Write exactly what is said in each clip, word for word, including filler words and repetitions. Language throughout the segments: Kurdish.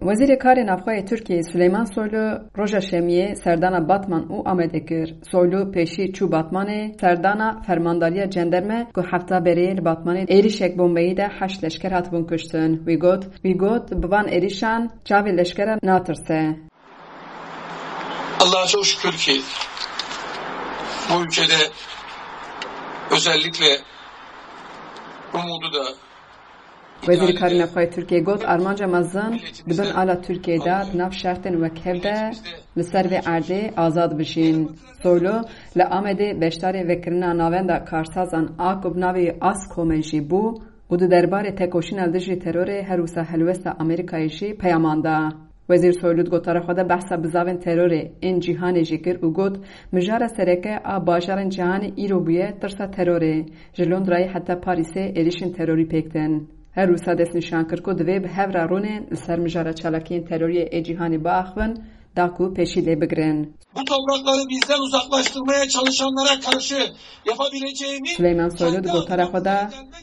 Wezîrê Karê Navxwe yê Tirkiyeyê Suleyman Soylu roja Şemiyê serdana Batman û Amedê kir. Soylu pêşî çû Batmanê, serdana Fermandariya Cenderme ku hefta berê li Batmanê êrişek bombeyî de heşt leşker hatibûn kuştin. Wî got, wî got, bi van êrişan çavê leşkeran natirse. Allah'a çok şükür ki bu ülkede özellikle umudu da Wezîrê Karê Navxwe yê Tirkiyê got, armanca mezin di bin ala Tirkiyê de di nav şertên wek hev de li ser vê erdê azad bijîn. Soylu li Amedê beşdarê vekirina navenda karsazan a ku bi navê ASKOM'ê jî bû û di derbarê tekoşîna li dijî terorê her wisa helwesta Amerîkayê jî peyaman da. Wezîr Soylu di gotara xwe de behsa bizavên terorê ên cîhanê jî kir û got, mijara sereke a bajarên cîhanê îro bûye tirsa terorê. Ji Londrayê heta Parîsê êrişên terorî pêk tên. Her wisa destnîşan kir ku divê bi hev re rûnên li ser mijara çalakiyên teroriyê ê cîhanê biaxivin, da ku pêşî lê bigirin. Bu toprakları bizden uzaklaştırmaya çalışanlara karşı yapabileceğimiz... Suleyman Soylu di gotara xwe de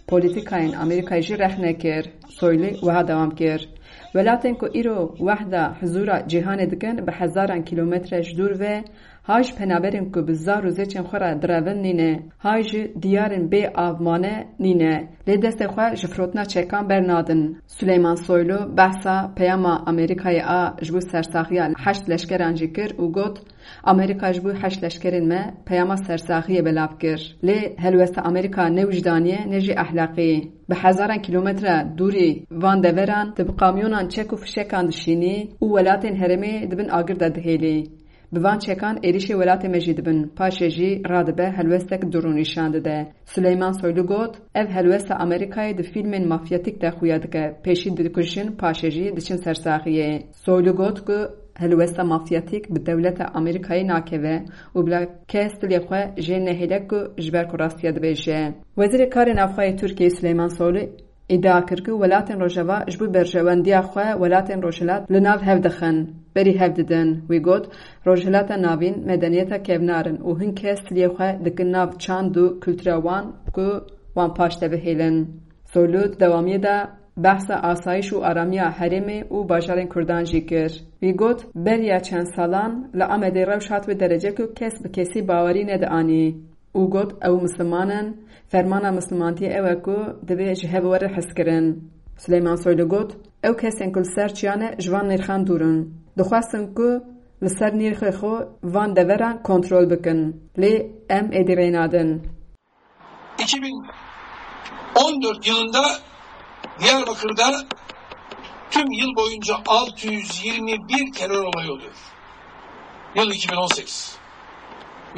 polîtîkayên Amerîkayê jî rexne kir. Soylu wiha dewam kir, Welatên ku îro wehda hizûra cîhanê dikin, bi hezaran kîlometre ji dûr ve, hay ji penaberên ku bi zar û zêçên xwe re direvin nîne, hay ji diyarên bê av mane nîne, lê destê xwe ji firotina çekan bernadin. Suleyman Soylu behsa peyama Amerîkayê a ji bo sersaxiya heşt leşkeran jî kir û got, Amerîka ji bo heşt leşkerên me peyama sersaxiyê belav kir. Lê helwesta Amerîka ne wijdanî ye ne jî ehlaqî. Bi hezaran kîlometre dûrî van deveran tu bi kamyonan çek û fişekan dişînî û welatên herêmê di bin agir de dihêlî. Bi van çekan êrişê welatê me jî dibin, paşê jî radibe helwestek dûrû nîşan dide. Suleyman Soylu got, Ev helwesta Amerîkayê di fîlmên mafyatîk de xuya dike, pêşî dikujin, paşê jî diçin sersaxiyê. Soylu got ku helwesta mafyatîk bi dewleta Amerîkayê nakeve û bila kes dilê xwe jê nehêle ku ji ber ku rastiya dibêje. Wezîrê Karê Navxwe yê Tirkiyeyê Suleyman Soylu îdia kir ku welatên Rojava ji bo berjewendiya xwe welatên Rojhilat li nav hev dixin, berî hev didin. Wî got, Rojhilata Navîn medeniyeta kevnar in û hin kes dilê xwe dikin nav çand û kultura wan ku wan paş de bihêlin. Soylu di dewamiyê de behsa asayîş û aramiya herêmê û bajarên Kurdan jî kir. Wî got, Beriya çend salan li Amedê rewş hat wê derece ku kes bi kesî bawerî nedianî û got, Ew misliman in, fermana mislimantiyê ew e ku divê ji hev were hezkirin. Suleyman Soylu got, Ew kesên ku li ser çiya ne ji van nirxan dûr in. Dixwestin ku li ser nirxê xwe van deveran kontrol bikin. Lê em êdî rê nadin. iki bin on dört yılında Diyarbakır'da tüm yıl boyunca altı yüz yirmi bir terör olayı oluyor. Yıl iki bin on sekiz.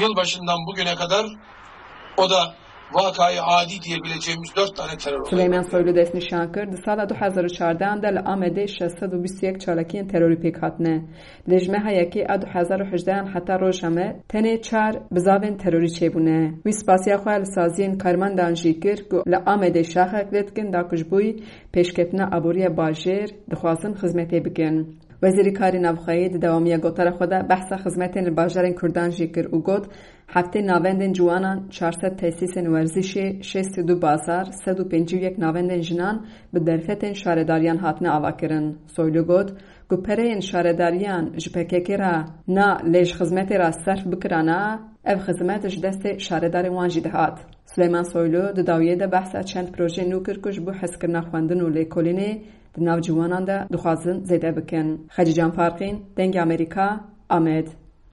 Yılbaşından bugüne kadar o da vakayı adi diyebileceğimiz dört tane terör olayı. Suleyman Soylu destnîşan kir, di sala du hezar û çardeh de li Amedê şeş sed û bîst û yek çalakiyên terorî pêk hatine. Lê ji meha yekê a du hezar û hejdehan heta roja me tenê çar bizavên terorî çêbûne. Wî spasiya xwe li saziyên karmendan jî kir ku li Amedê şaxek lê dikin da ku ji bo pêşketina aboriya bajêr dixwazin xizmetê bikin. Wezîrê Karê Navxweyî di dewamiya gotara xwe de behsa xizmetên li bajarên Kurdan jî kir û got, Heftê navendên ciwanan, çar sed tesîsên werzişê, şêst û du bazar, sed û pêncî û yek navendên jinan bi derfetên şaredariyan hatine avakirin. Soylu got ku pereyên şaredariyan ji P K K re na lê ji xizmetê re serf bikirana, ev xizmet ji destê şaredarên wan jî dihat. Suleyman Soylu di dawiyê de behsa çend projeyên nû kir ku ji bo hezkirina xwendin û lêkolînê di nav ciwanan de dixwazin zêde bikin. Xecîcan Farqîn, Dengê Amerîka, Amed.